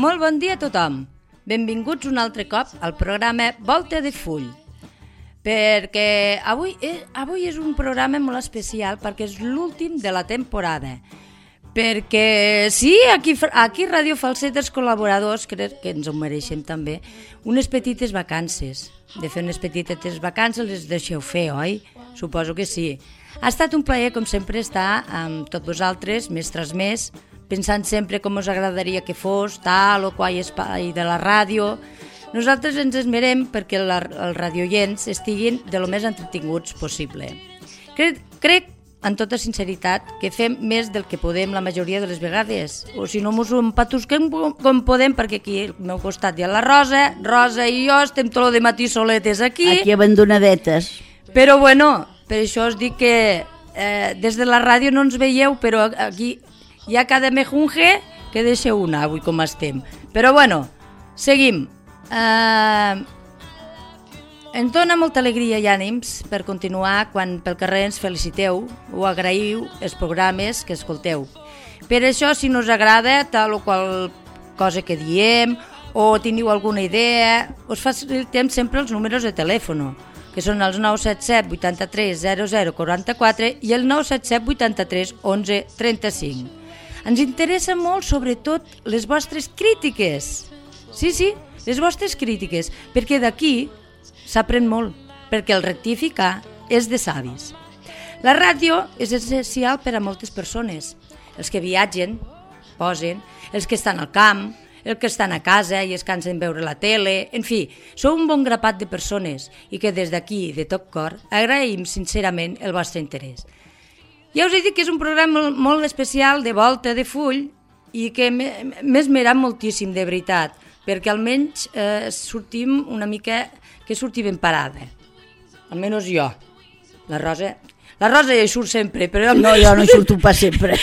Molt bon dia a tothom. Benvinguts un altre cop al programa Volta de Full. Perquè avui és un programa molt especial perquè és l'últim de la temporada. Perquè sí, aquí Ràdio Falset, els col·laboradors, crec que ens ho mereixem també, unes petites vacances. De fer unes petites vacances les deixeu fer, oi? Suposo que sí. Ha estat un plaer, com sempre, estar amb tots vosaltres, mestres més, pensant sempre com us agradaria que fos, tal o qual espai de la ràdio. Nosaltres ens esmerem perquè els radioients estiguin de lo més entretinguts possible. Crec, en tota sinceritat, que fem més del que podem la majoria de les vegades. O si no, mos ho empatusquem com podem, perquè aquí al meu costat hi ha la Rosa i jo estem tot el matí soletes aquí. Aquí abandonadetes. Però bueno, per això us dic que des de la ràdio no ens veieu, però aquí hi ha cada mejunge que deixeu una avui com estem. Però bueno, seguim. Ens dona molta alegria i ànims per continuar quan pel carrer ens feliciteu o agraïu els programes que escolteu. Per això, si no us agrada tal o qual cosa que diem o teniu alguna idea, us facilitem sempre els números de telèfon, que són els 977 83 00 44 i el 977 83 11 35. Ens interessa molt, sobretot, les vostres crítiques. Sí, les vostres crítiques, perquè d'aquí s'aprèn molt, perquè el rectificar és de savis. La ràdio és essencial per a moltes persones. Els que viatgen, posen, els que estan al camp, els que estan a casa i es cansen veure la tele, en fi, sou un bon grapat de persones i que des d'aquí, de tot cor, agraïm sincerament el vostre interès. Ja us he dit que és un programa molt especial de volta de full i que m'he esmerat moltíssim, de veritat, perquè almenys sortim una mica que surti ben parada. Almenys jo. La Rosa ja hi surt sempre, però... No, jo no hi surto pas sempre.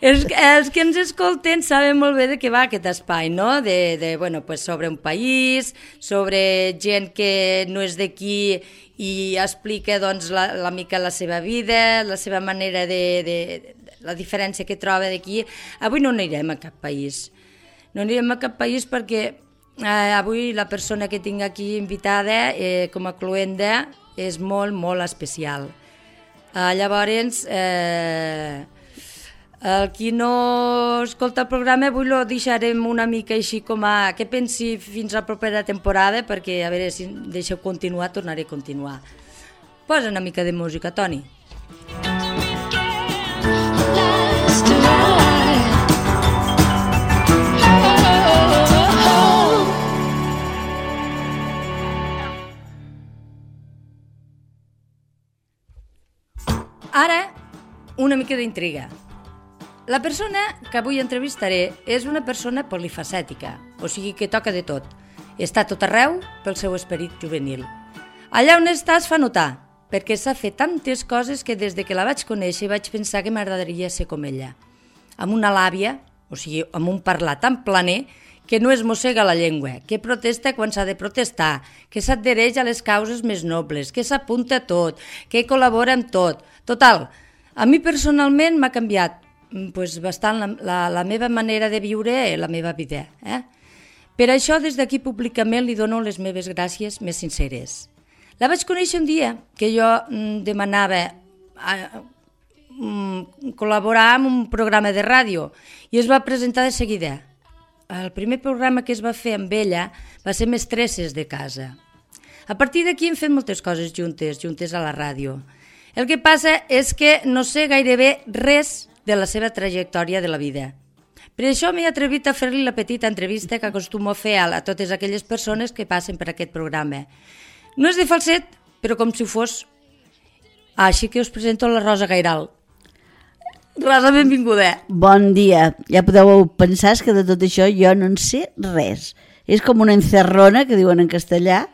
Els que ens escolten saben molt bé de què va aquest espai, no? Bueno, pues sobre un país, sobre gent que no és d'aquí i explica doncs, la mica la seva vida, la seva manera la diferència que troba d'aquí. Avui no anirem a cap país. No anirem a cap país perquè avui la persona que tinc aquí invitada com a cluenda és molt, molt especial. Llavors, el qui no escolta el programa avui lo deixarem una mica així com a que pensi fins a la propera temporada, perquè a veure si deixeu continuar, tornaré a continuar. Posa una mica de música, Toni. Ara, una mica d'intriga. La persona que avui entrevistaré és una persona polifacètica, o sigui que toca de tot. Està tot arreu pel seu esperit juvenil. Allà on està es fa notar, perquè s'ha fet tantes coses que des de que la vaig conèixer vaig pensar que m'agradaria ser com ella. Amb una làbia, o sigui, amb un parlar tan planer, que no es mossega la llengua, que protesta quan s'ha de protestar, que s'adhereix a les causes més nobles, que s'apunta a tot, que col·labora amb tot. Total, a mi personalment m'ha canviat bastant la meva manera de viure, la meva vida. Per això, des d'aquí públicament li dono les meves gràcies més sinceres. La vaig conèixer un dia que jo demanava col·laborar en un programa de ràdio i es va presentar de seguida. El primer programa que es va fer amb ella va ser Mestresses de casa. A partir d'aquí hem fet moltes coses juntes a la ràdio. El que passa és que no sé gairebé res de la seva trajectòria de la vida. Per això m'he atrevit a fer-li la petita entrevista que acostumo a fer a totes aquelles persones que passen per aquest programa. No és de falset, però com si ho fos. Així que us presento la Rosa Gairal. Rosa, benvinguda. Bon dia. Ja podeu pensar que de tot això jo no en sé res. És com una encerrona, que diuen en castellà,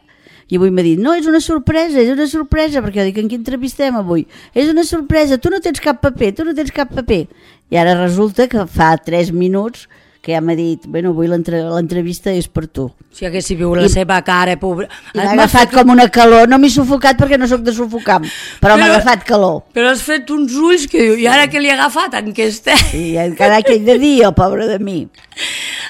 i avui m'ha dit, no, és una sorpresa, perquè jo dic, en qui entrevistem avui? És una sorpresa, tu no tens cap paper. I ara resulta que fa 3 minuts que ja m'ha dit, bueno, avui l'entrevista és per tu. Si haguessi viu la seva cara, pobra... I m'ha agafat com una calor, no m'he sufocat perquè no sóc de sufocar, però m'ha agafat calor. Però has fet uns ulls que diu, i ara que li ha agafat en què està? I encara que he de dir, el pobre de mi.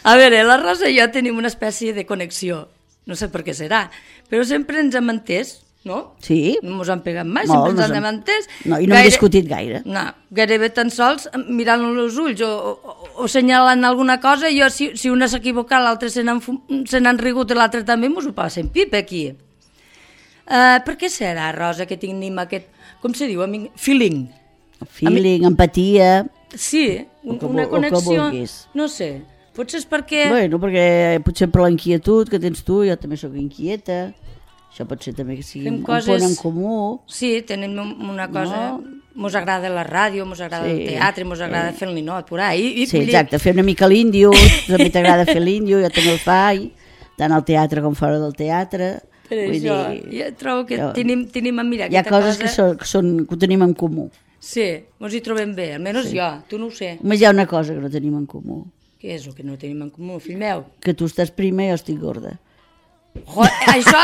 A veure, la Rosa i jo tenim una espècie de connexió. No sé per què serà, però sempre ens hem entès, no? Sí. No ens han pegat mai, sempre ens hem entès. No, i no hem discutit gaire. No, gairebé tan sols mirant-lo als ulls o assenyalant alguna cosa, jo si una s'ha equivocat, l'altre se n'han rigut i l'altre també mos ho passa en pip aquí. Per què serà, Rosa, que tenim aquest, com se diu, feeling? Feeling, empatia... Sí, una connexió, no sé, potser és perquè... Bueno, perquè potser per l'inquietud que tens tu, jo també sóc inquieta, això pot ser també que sigui un punt en comú. Sí, tenim una cosa, mos agrada la ràdio, mos agrada el teatre, mos agrada fer el ninot, por ahí. Sí, exacte, fer una mica l'índio, a mi t'agrada fer l'índio, jo també el faig, tant al teatre com fora del teatre. Per això, jo trobo que tenim a mirar hi ha coses que ho tenim en comú. Sí, ens hi trobem bé, almenys jo, tu no ho sé. Només hi ha una cosa que no tenim en comú. Què és el que no tenim en comú, fill meu? Que tu estàs prima i jo estic gorda. Això,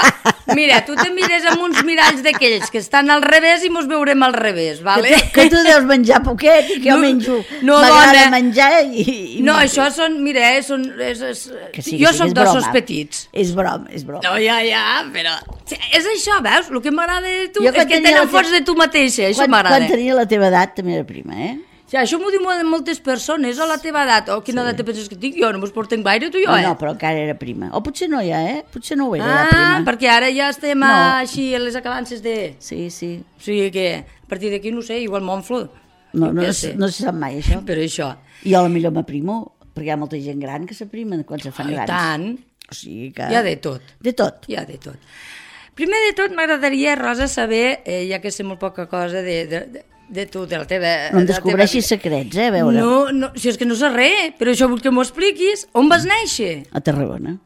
mira, tu te mires amb uns miralls d'aquells que estan al revés i mos veurem al revés, vale? Que tu deus menjar poquet i que jo menjo. M'agrada menjar i... No, això són, mira, jo soc d'ossos petits. És broma, és broma. No, ja, però... És això, veus? El que m'agrada de tu és que tenen força de tu mateixa, això m'agrada. Quan tenia la teva edat també era prima, eh? Ja, això m'ho diuen moltes persones, o la teva edat, o quina edat te penses que tinc, jo no mos portem gaire, tu i jo, No, però encara era prima. O potser no ja, Potser no ho era, la prima. Perquè ara ja estem així a les acabances de... Sí. O sigui que, a partir d'aquí, no sé, igual m'onflo. No se sap mai, això. Per això. I jo potser m'aprimo, perquè hi ha molta gent gran que s'aprimen quan se fan grans. I tant. O sigui que... Hi ha de tot. De tot. Hi ha de tot. Primer de tot, m'agradaria, Rosa, saber, ja que sé molt poca cosa de tu, de la teva... No em descobreixis secrets, a veure. No, si és que no sé res, però això vull que m'ho expliquis. On vas néixer? A Tarragona.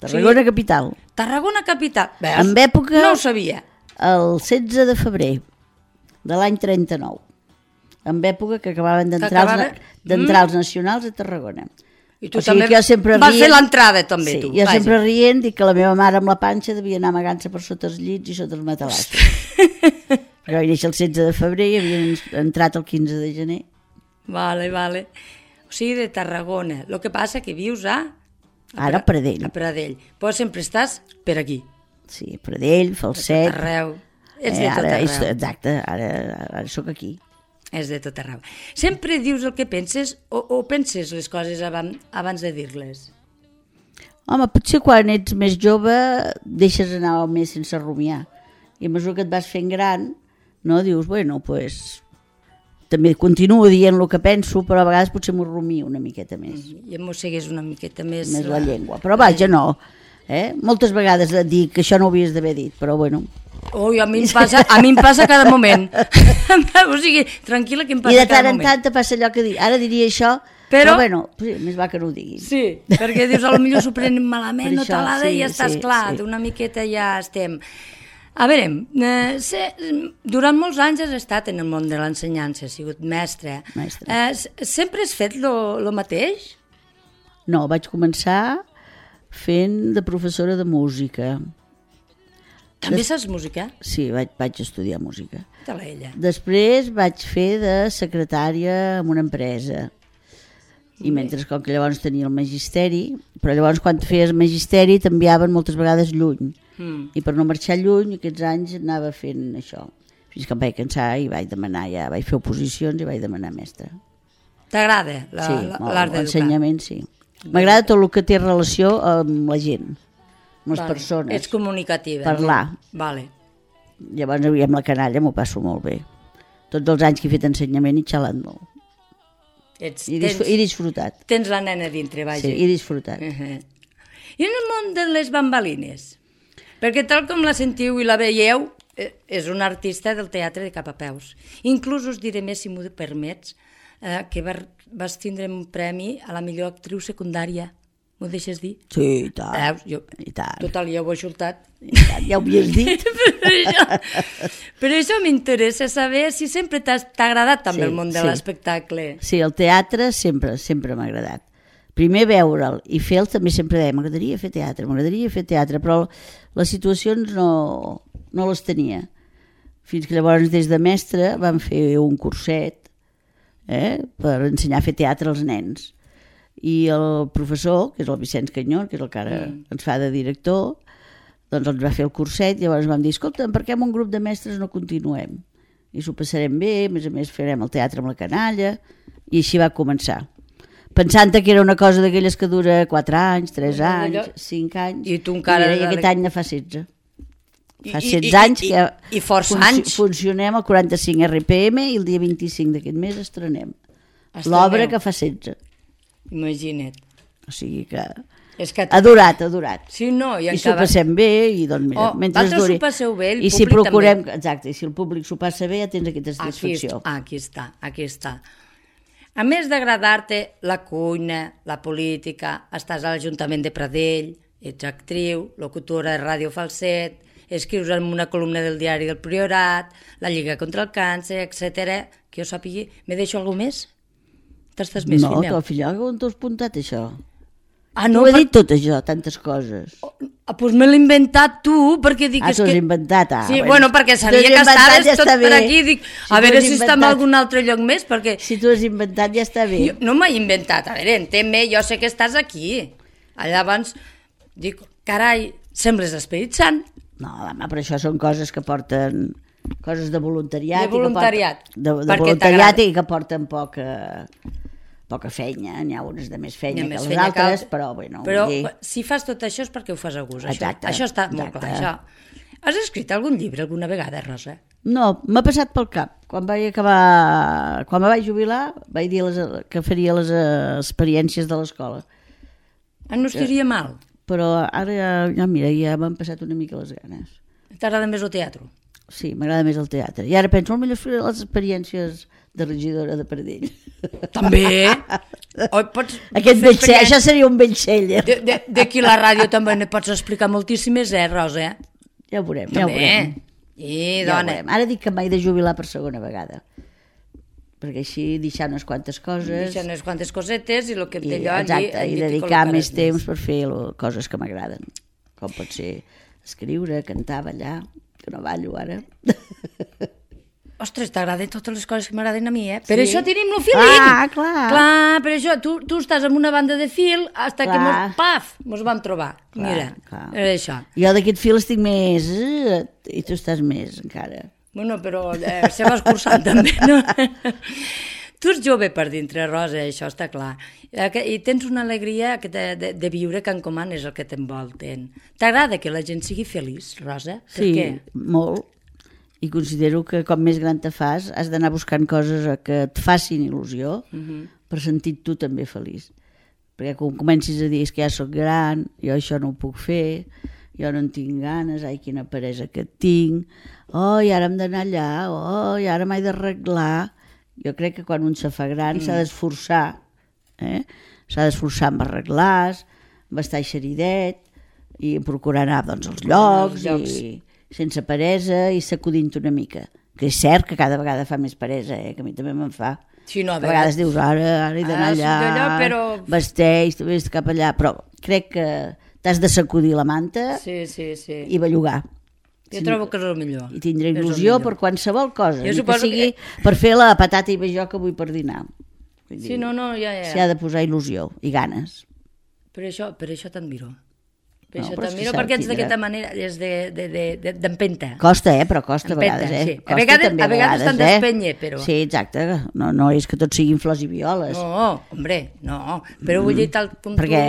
Tarragona capital. Tarragona capital. Veus? En època... No ho sabia. El 16 de febrer de l'any 39. En època que acabaven d'entrar els nacionals a Tarragona. I tu també vas fer l'entrada, també, tu. Jo sempre rient, dic que la meva mare amb la panxa devia anar amagant-se per sota els llits i sota els matalassos. Perquè vaig néixer el 16 de febrer i havien entrat el 15 de gener. Vale. O sigui, de Tarragona. El que passa que vius Ara a Pradell. A Pradell. Però sempre estàs per aquí. Sí, Pradell, Falset. De tot arreu. Ets de tot arreu. Exacte, ara sóc aquí. És de tot arreu. Sempre dius el que penses o penses les coses abans de dir-les? Home, potser quan ets més jove deixes anar més sense rumiar. I a mesura que et vas fent gran, no, dius, bueno, pues, també continuo dient el que penso, però a vegades potser m'ho rumio una miqueta més. I em mossegues una miqueta més... Més la llengua. Però vaja, no. Moltes vegades et dic que això no ho havies d'haver dit, però bueno... Ui, a mi em passa cada moment. O sigui, tranquil·la que em passa cada moment. I de tant en tant te passa allò que dic, ara diria això, però bueno, més va que no ho diguis. Sí, perquè dius, potser s'ho prenen malament, no talada, i ja estàs clar, d'una miqueta ja estem... A veure, durant molts anys has estat en el món de l'ensenyança, has sigut mestre. Sempre has fet el mateix? No, vaig començar fent de professora de música. També saps música? Sí, vaig estudiar música. Ella. Després vaig fer de secretària en una empresa. I mentre com que llavors tenia el magisteri, però llavors quan feies magisteri t'enviaven moltes vegades lluny. I per no marxar lluny aquests anys anava fent això. Fins que em vaig cansar i vaig demanar, ja vaig fer oposicions i vaig demanar mestre. T'agrada l'art d'educar? L'ensenyament, sí. M'agrada tot el que té relació amb la gent, amb les persones. Ets comunicativa. Parlar. Vale. Llavors amb la canalla m'ho passo molt bé. Tots els anys que he fet ensenyament he xalat molt. I disfrutat. Tens la nena dintre, vaja. Sí, he disfrutat. I en el món de les bambalines? Perquè tal com la sentiu i la veieu, és una artista del teatre de cap a peus. Inclús us diré més, si m'ho permets, que vas tindre un premi a la millor actriu secundària. M'ho deixes dir? Sí, i tant. I tant. Total, ja ho he xultat. Ja ho havies dit. Per això m'interessa saber si sempre t'ha agradat també el món de l'espectacle. Sí, el teatre sempre m'ha agradat. Primer veure'l i fer-lo també sempre deia m'agradaria fer teatre, però les situacions no les tenia. Fins que llavors des de mestre vam fer un curset per ensenyar a fer teatre als nens. I el professor, que és el Vicenç Canyón, que és el que ara ens fa de director, doncs ens va fer el curset i llavors vam dir, escolta, per què amb un grup de mestres no continuem? I s'ho passarem bé, a més farem el teatre amb la canalla, i així va començar. Pensant que era una cosa d'aquelles que dura 4 anys, 3 anys, 5 anys, i tu encara... I aquest any ne fa 16. Fa 16 anys que funcionem al 45 RPM i el dia 25 d'aquest mes estrenem l'obra que fa 16. Imagina't. O sigui que... ha durat. Sí, no, i s'ho passem bé i doncs mira, mentre duri. S'ho passeu bé, el I si procurem, també. Exacte, i si el públic s'ho passa bé ja tens aquesta satisfacció. Aquí està. A més d'agradar-te la cuina, la política, estàs a l'Ajuntament de Pradell, ets actriu, locutora de Ràdio Falset, escrius en una columna del diari del Priorat, la Lliga contra el Càncer, etc. Que jo sàpigui, me deixo alguna més? T'estàs més fina? No, filla, on t'ho has apuntat això? No, ho he dit tot això, tantes coses. Doncs me l'he inventat tu, perquè dic... t'ho has inventat, Sí, bueno, perquè sabia que estaves tot per aquí, dic, a veure si està en algun altre lloc més, perquè... Si t'ho has inventat ja està bé. No m'he inventat, a veure, entén-me, jo sé que estàs aquí. Llavors, dic, carai, sembles l'Esperit Sant. No, home, però això són coses que porten... Coses de voluntariat. De voluntariat. De voluntariat i que porten poca feina, n'hi ha unes de més feina que les altres, però bueno... Però si fas tot això és perquè ho fas a gust, això està molt clar, això. Has escrit algun llibre alguna vegada, Rosa? No, m'ha passat pel cap. Quan me vaig jubilar, vaig dir que faria les experiències de l'escola. No estaria mal. Però ara, mira, ja m'han passat una mica les ganes. T'agrada més el teatre? Sí, m'agrada més el teatre. I ara penso, potser faré les experiències de regidora de Pradell. També? Això seria un bell D'aquí la ràdio també ne pots explicar moltíssimes, Rosa? Ja ho veurem. I, dona. Ara dic que m'he de jubilar per segona vegada, perquè així deixar unes quantes coses... Deixar unes quantes cosetes i el que té allò... Exacte, i dedicar més temps per fer coses que m'agraden, com pot ser escriure, cantar, ballar, que no ballo ara... Ostres, t'agraden totes les coses que m'agraden a mi, eh? Per això tenim el feeling. Clar, per això tu estàs en una banda de fil fins que mos vam trobar. Mira, era això. Jo d'aquest fil estic més... I tu estàs més, encara. Bueno, però se va escurçant també, no? Tu ets jove per dintre, Rosa, això està clar. I tens una alegria de viure que encomanes el que t'envolten. T'agrada que la gent sigui feliç, Rosa? Sí, molt. I considero que com més gran te fas has d'anar buscant coses que et facin il·lusió per sentir tu també feliç, perquè quan comencis a dir que ja soc gran, jo això no ho puc fer, jo no en tinc ganes, ai quina peresa que tinc, i ara hem d'anar allà, i ara m'he d'arreglar. Jo crec que quan un se fa gran s'ha d'esforçar, s'ha d'esforçar en arreglar-se, en estar xeridet i procurar anar als llocs i sense peresa i sacudint una mica, que és cert que cada vegada fa més peresa, que a mi també me'n fa. Sí, no, a vegades dius, ara he d'anar allà, vesteix, vés cap allà, però crec que t'has de sacudir la manta i bellugar. Jo trobo que és el millor. I tindré il·lusió per qualsevol cosa, ni que sigui per fer la patata i vejó que vull per dinar. Sí, no, ja. S'hi ha de posar il·lusió i ganes. Per això t'admiro. Perquè ets d'aquesta manera, és d'empenta. Costa, però costa a vegades. A vegades t'han d'espènyer, però... Sí, exacte. No és que tot siguin flors i violes. No, hombre, no. Però vull dir tal com tu... Perquè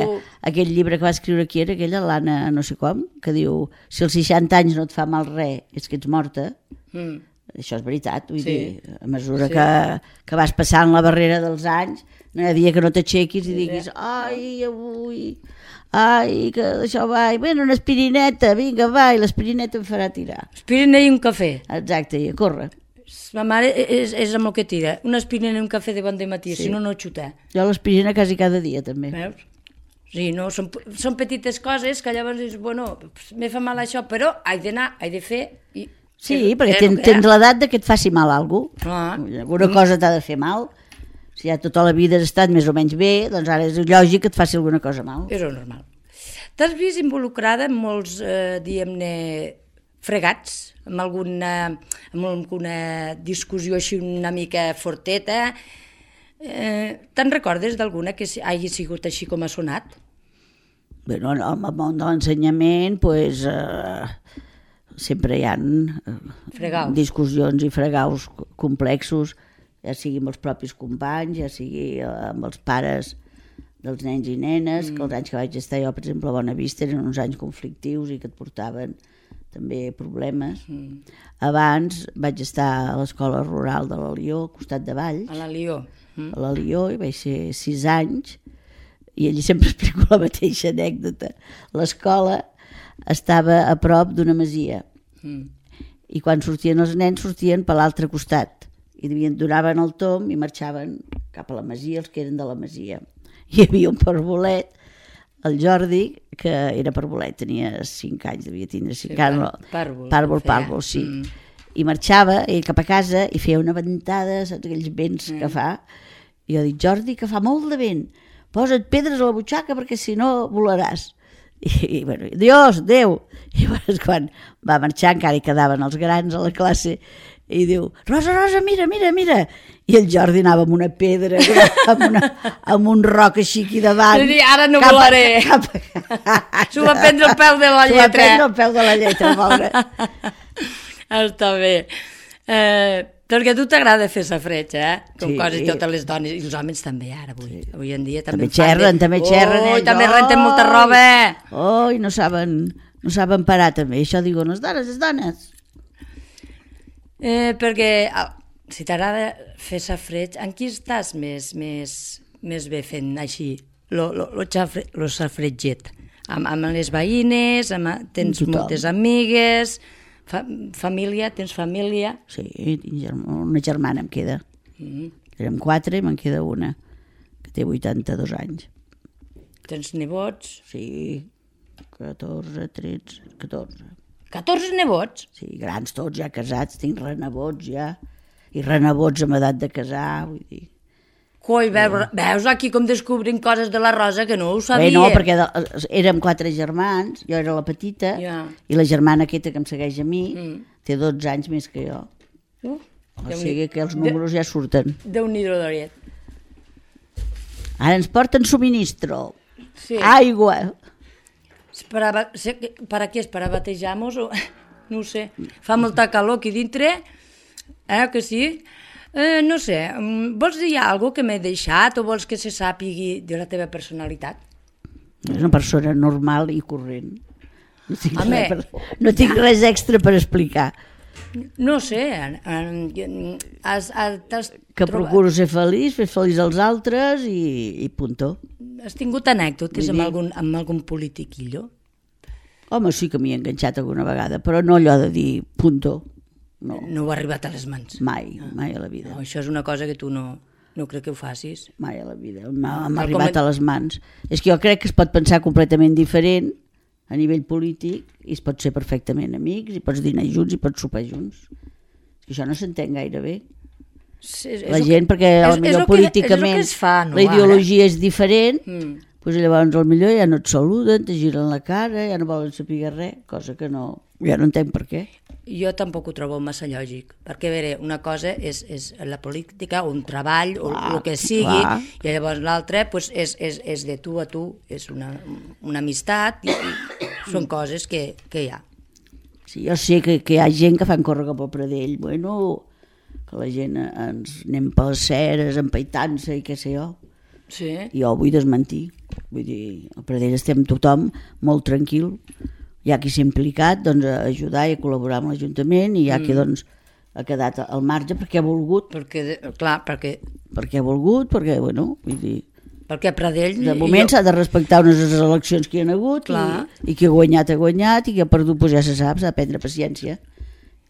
aquell llibre que va escriure aquí era aquella, l'Anna no sé com, que diu, si als 60 anys no et fa mal res, és que ets morta. Això és veritat, vull dir, a mesura que vas passant la barrera dels anys, no hi ha dia que no t'aixequis i diguis, ai, que això va, bueno, una aspirineta, vinga, va, i l'aspirineta em farà tirar. Aspirina i un cafè. Exacte, i a córrer. Ma mare és amb el que tira, una aspirina i un cafè de bon dematí, si no xuta. Jo l'aspirina quasi cada dia, també. Veus? Sí, no, són petites coses que llavors dius, bueno, me fa mal això, però he d'anar, he de fer... Sí, perquè tens l'edat que et faci mal alguna cosa. Alguna cosa t'ha de fer mal. Si ja tota la vida has estat més o menys bé, doncs ara és lògic que et faci alguna cosa mal. És normal. T'has vist involucrada en molts, diguem-ne, fregats, amb alguna discussió així una mica forteta, Te'n recordes d'alguna que hagi sigut així com ha sonat? Bé, no, en el món de l'ensenyament, doncs, sempre hi ha discussions i fregaus complexos, ja sigui amb els propis companys, ja sigui amb els pares dels nens i nenes, que els anys que vaig estar jo, per exemple, a Bonavista eren uns anys conflictius i que et portaven també problemes. Abans vaig estar a l'escola rural de l'Alió, al costat de Valls. A l'Alió. A l'Alió, i vaig ser 6 anys, i allí sempre explico la mateixa anècdota. L'escola estava a prop d'una masia, i quan sortien els nens sortien per l'altre costat, i donaven el tomb i marxaven cap a la masia, els que eren de la masia. Hi havia un parvolet, el Jordi, que era parvolet, tenia 5 anys, devia tindre 5 anys. Pàrvol, sí. I marxava ell cap a casa i feia una ventada, saps aquells vents que fa, i jo dic, Jordi, que fa molt de vent, posa't pedres a la butxaca perquè si no volaràs. I bueno, adiós, adéu. I llavors quan va marxar encara hi quedaven els grans a la classe i diu, Rosa, Rosa, mira, mira, mira. I el Jordi anava amb una pedra, amb un roc així aquí davant. I ara no volaré. S'ho va prendre el peu de la lletra. S'ho va prendre el peu de la lletra, pobre. Està bé. Perquè a tu t'agrada fer safareig, com quasi totes les dones, i els homes també ara, avui en dia també xerren. També també renten molta roba. I no saben parar també, això diuen les dones. Perquè si t'agrada fer safareig, en qui estàs més bé fent així, lo safaretget? Amb les veïnes, tens moltes amigues... Família, tens família? Sí, una germana em queda. Érem 4 i me'n queda una, que té 82 anys. Tens nebots? Sí, 14, 13, 14. 14 nebots? Sí, grans tots, ja casats, tinc renebots ja, i renebots amb edat de casar, vull dir. Coi, veus aquí com descobrim coses de la Rosa que no ho sabia. Bé, no, perquè érem 4 germans, jo era la petita, i la germana aquesta que em segueix a mi té 12 anys més que jo. O sigui que els números ja surten. Déu-n'hi-do, Doriet. Ara ens porten subministro, aigua. Per a què és? Per a batejar-nos? No ho sé. Fa molta calor aquí dintre, que sí? No sé, vols dir alguna cosa que m'he deixat o vols que se sàpigui de la teva personalitat? És una persona normal i corrent. No tinc res extra per explicar. No sé, que procuro ser feliç, fer feliç als altres i puntó. Has tingut anècdotes amb algun politiquillo? Home, sí que m'hi he enganxat alguna vegada, però no allò de dir puntó. No ho ha arribat a les mans? Mai a la vida. Això és una cosa que tu no crec que ho facis. Mai a la vida, m'ha arribat a les mans. És que jo crec que es pot pensar completament diferent a nivell polític i es pot ser perfectament amics i pots dinar junts i pots sopar junts. Això no s'entén gaire bé. La gent, perquè potser políticament la ideologia és diferent, doncs llavors potser ja no et saluden, te giren la cara, ja no volen saber res, cosa que ja no entenc per què. Jo tampoc ho trobo massa lògic, perquè a veure, una cosa és la política, un treball, o el que sigui, i llavors l'altre és de tu a tu, és una amistat, i són coses que hi ha. Sí, jo sé que hi ha gent que fan córrer cap al Pradell, bueno, que la gent ens anem per les ceres, empaitant-se i què sé jo. Sí. I jo ho vull desmentir, vull dir, al Pradell estem tothom molt tranquil, hi ha qui s'ha implicat a ajudar i a col·laborar amb l'Ajuntament i hi ha qui ha quedat al marge perquè ha volgut. Perquè ha volgut, perquè, bueno, vull dir... Perquè a Pradell... De moment s'ha de respectar unes eleccions que hi ha hagut i qui ha guanyat i qui ha perdut ja se sap, s'ha de prendre paciència.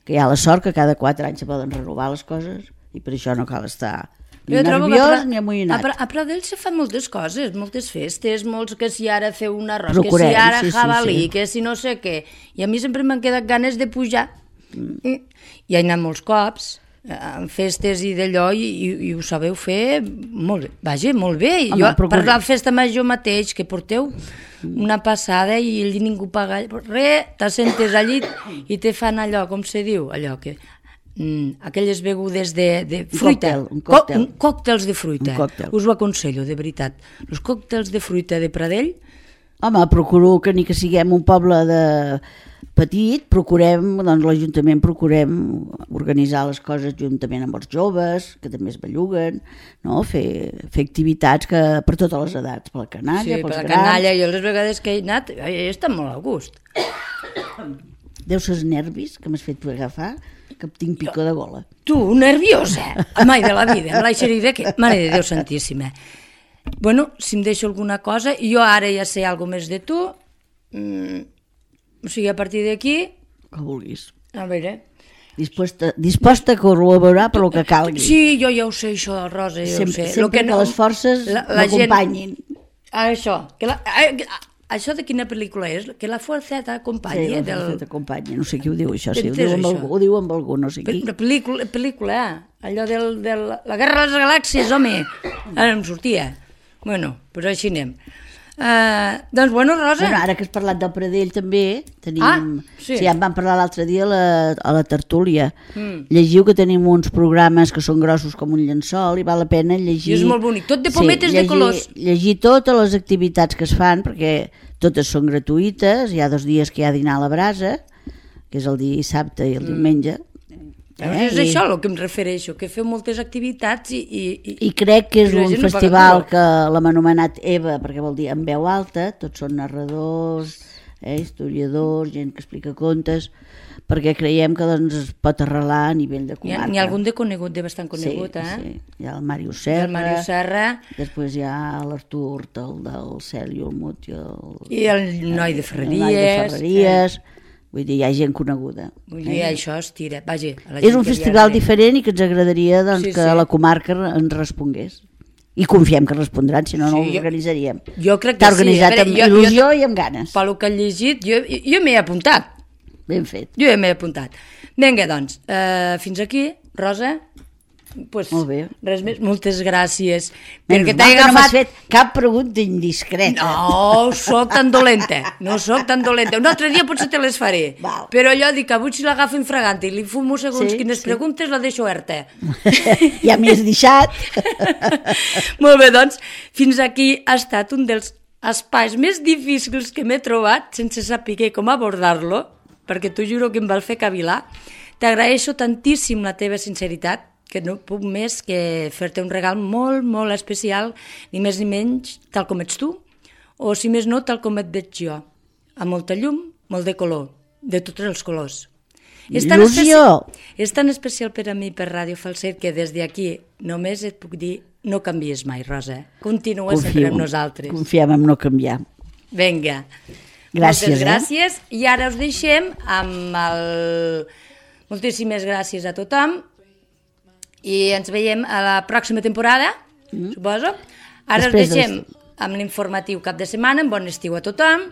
Que hi ha la sort que cada 4 anys se poden renovar les coses i per això no cal estar... ni nerviós ni amoïnat. A Pradell se fan moltes coses, moltes festes, molts que si ara feu un arròs, que si ara jabalí, que si no sé què. I a mi sempre m'han quedat ganes de pujar. I he anat molts cops en festes i d'allò i ho sabeu fer molt bé. Vaja, molt bé. Jo, per la festa major mateix, que porteu una passada i ningú paga res, t'assentes al llit i te fan allò, com se diu, allò que... aquelles begudes de fruita. Un còctel. Còctels de fruita. Un còctel. Us ho aconsello, de veritat. Els còctels de fruita de Pradell, Home, procuro que ni que siguem un poble petit, doncs l'Ajuntament procurem organitzar les coses juntament amb els joves, que també es belluguen, no? Fer activitats per totes les edats, per la canalla, pels per la grans. canalla, jo les vegades que he anat, he estat molt a gust. Deu ser els nervis que m'has fet agafar, que tinc picor de gola. Tu, nerviosa! Mai de la vida, amb l'aixerida que... Mare de Déu Santíssima. Bueno, si em deixo alguna cosa, jo ara ja sé alguna més de tu, o sigui, a partir d'aquí... Que vulguis. A veure... Disposta a col·laborar per lo que calgui. Sí, jo ja ho sé, això, Rosa, jo sempre, ho sé. Sempre que les forces m'acompanyin. Això, això de quina pel·lícula és? Que la força t'acompanya. Sí, la força t'acompanya, no sé qui ho diu això, sí, ho diu amb algú, no sé qui. Pel·lícula, allò de la Guerra de les Galàxies, home, ara em sortia. Bueno, doncs així anem. Doncs, bueno, Rosa... Bueno, ara que has parlat del Pradell també, tenim... sí. Ja en vam parlar l'altre dia a la tertúlia. Llegiu que tenim uns programes que són grossos com un llençol i val la pena llegir... I és molt bonic, tot de pometes de colors. Llegir totes les activitats que es fan, perquè totes són gratuïtes, hi ha 2 dies que hi ha dinar a la brasa, que és el dissabte i el diumenge. És això el que em refereixo, que feu moltes activitats i crec que és un festival que l'hem anomenat EVA, perquè vol dir en veu alta, tots són narradors, historiadors, gent que explica contes, perquè creiem que doncs, es pot arrelar a nivell de comarca. N'hi ha algun de conegut, de bastant conegut, sí. Hi ha el Màrius Serra, després hi ha l'Artur del Cel i el Mut i el Noi de Ferreries. Vull dir, hi ha gent coneguda. Vull dir, això es tira. Vaja, és un festival diferent i que ens agradaria que la comarca ens respongués. I confiem que respondran, si no, no ho organitzaríem. Jo crec que t'ha organitzat amb il·lusió i amb ganes. Pel que he llegit, jo m'he apuntat. Ben fet. Jo m'he apuntat. Vinga, doncs, fins aquí, Rosa. Pues, molt bé. Res més, moltes gràcies. Perquè t'he agafat... No m'has fet cap pregunta indiscreta. No soc tan dolenta, Un altre dia potser te les faré. Val. Però allò dic que avui si l'agafo infragant i li fumo segons quines preguntes, la deixo oberta. Ja m'hi has deixat. Molt bé, doncs, fins aquí ha estat un dels espais més difícils que m'he trobat sense saber com abordar-lo, perquè t'ho juro que em va fer cavilar. T'agraeixo tantíssim la teva sinceritat, que no puc més que fer-te un regal molt, molt especial, ni més ni menys, tal com ets tu, o si més no, tal com et veig jo, amb molta llum, molt de color, de tots els colors. Il·lusió! És tan especial per a mi, per Ràdio Falset, que des d'aquí només et puc dir, no canvies mai, Rosa. Continua sempre amb nosaltres. Confiem en no canviar. Vinga. Gràcies. Moltes gràcies. I ara us deixem amb el... Moltíssimes gràcies a tothom. I ens veiem a la pròxima temporada, suposo. Ara us deixem amb l'informatiu cap de setmana, amb bon estiu a tothom,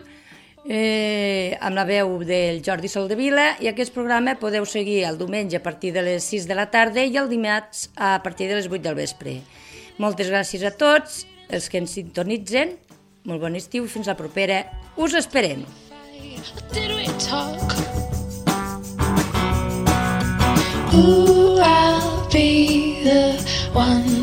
amb la veu del Jordi Soldevila, i aquest programa podeu seguir el diumenge a partir de les 6 de la tarda i el dimarts a partir de les 8 del vespre. Moltes gràcies a tots els que ens sintonitzen, molt bon estiu i fins la propera. Us esperem. Ooh, I'll be the one